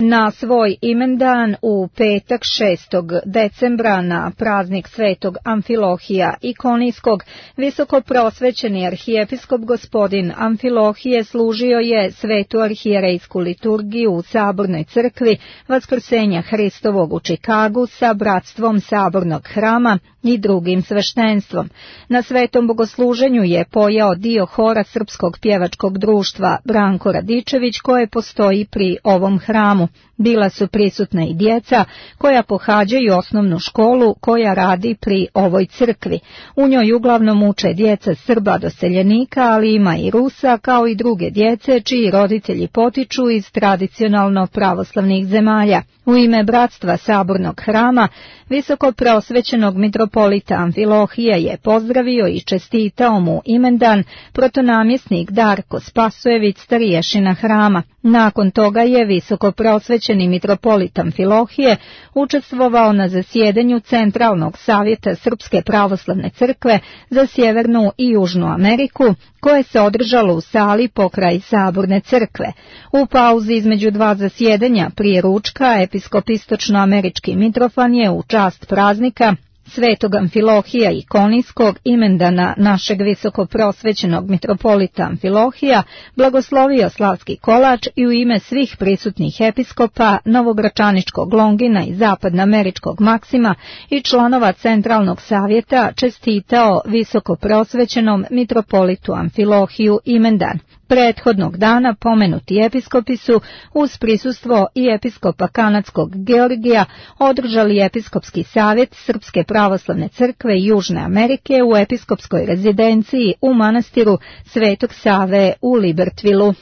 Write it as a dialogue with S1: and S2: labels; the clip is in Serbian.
S1: Na svoj imendan u petak 6. decembra na praznik Svetog Amfilohija Ikonijskog, visokoprosvećeni arhijepiskop gospodin Amfilohije služio je svetu arhijerejsku liturgiju u Sabornoj crkvi Vaskrsenja Hristovog u Čikagu sa bratstvom Sabornog hrama i drugim sveštenstvom. Na svetom bogosluženju je pojao dio hora Srpskog pjevačkog društva Branko Radičević koje postoji pri ovom hramu. Bila su prisutna i djeca koja pohađaju osnovnu školu koja radi pri ovoj crkvi. U njoj uglavnom uče djeca Srba doseljenika, ali ima i Rusa, kao i druge djece čiji roditelji potiču iz tradicionalno pravoslavnih zemalja. U ime bratstva Sabornog hrama, visokoprosvećenog mitropolita Amfilohija je pozdravio i čestitao mu imendan protonamjesnik Darko Spasojević, starješina hrama. Nakon toga je visokoprosvećeni mitropolit Amfilohije učestvovao na zasjedanju Centralnog savjeta Srpske pravoslavne crkve za Sjevernu i Južnu Ameriku, koje se održalo u sali pokraj Saborne crkve. U pauzi između dva zasjedanja prije ručka, episkop istočnoamerički Mitrofan je u čast praznika Svetog Amfilohija Ikonijskog, imendana našeg visokoprosvećenog mitropolita Amfilohija, blagoslovio slavski kolač i u ime svih prisutnih episkopa Novogračaničkog Longina i zapadnoameričkog Maksima i članova Centralnog savjeta čestitao visokoprosvećenom mitropolitu Amfilohiju imendan. Prethodnog dana pomenuti episkopi su uz prisustvo i episkopa kanadskog Georgija održali episkopski savjet Srpske pravoslavne crkve i Južne Amerike u episkopskoj rezidenciji u manastiru Svetog Save u Libertvilu.